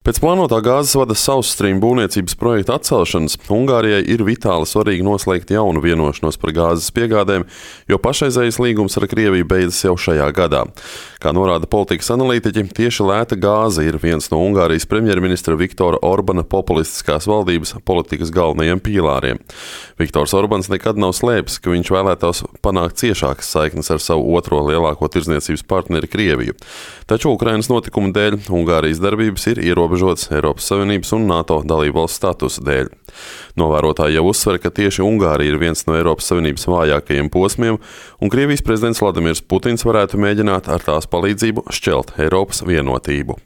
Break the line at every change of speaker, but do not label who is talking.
Pēc plānotā gāzes vada South Stream būvniecības projekta atcelšanas Ungārijai ir vitāli svarīgi noslēgt jaunu vienošanos par gāzes piegādēm, jo pašreizējais līgums ar Krieviju beidzas jau šajā gadā. Kā norāda politikas analītiķi, tieši lēta gāze ir viens no Ungārijas premjerministra Viktora Orbana populistiskās valdības politikas galvenajiem pīlāriem. Viktors Orbans nekad nav slēpis, ka viņš vēlētos panākt ciešākas saiknes ar savu otro lielāko tirdzniecības partneri Krieviju. Taču Ukrainas notikumu dēļ Ungārijas darbības ir ierobežotas Eiropas Savienības un NATO dalībvalsts statusa dēļ. Novērotāji jau uzsver, ka tieši Ungārija ir viens no Eiropas Savienības vājākajiem posmiem, un Krievijas prezidents Vladimirs Putins varētu mēģināt ar tās palīdzību šķelt Eiropas vienotību.